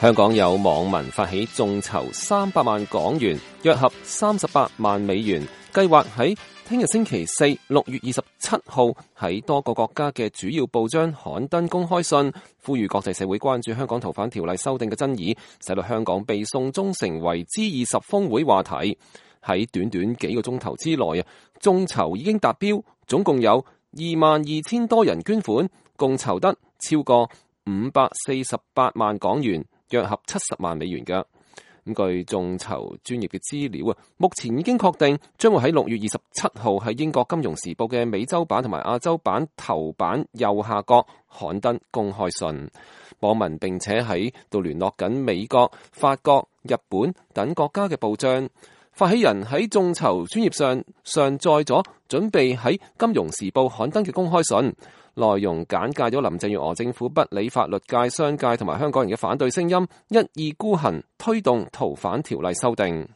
香港有網民發起眾籌300萬港元，約合38萬美元，計劃喺聽日星期四6月27號喺多個國家嘅主要報章刊登公開信，呼籲國際社會關注香港逃犯條例修訂嘅爭議，使到香港被送中成為 G20 峰會話題。喺短短幾個鐘頭之內眾籌已經達標，總共有22,000多人捐款，共籌得超過548萬港元，約合70萬美元嘅。據眾籌專業嘅資料目前已經確定將會喺6月27號喺英國金融時報嘅美洲版同埋亞洲版頭版右下角刊登公開信。網民並且喺度聯絡緊美國、法國、日本等國家嘅報章。發起人喺眾籌專頁上載咗準備喺金融時報刊登嘅公開信，內容簡介咗林鄭月娥政府不理法律界、商界同埋香港人嘅反對聲音，一意孤行推動逃犯條例修訂。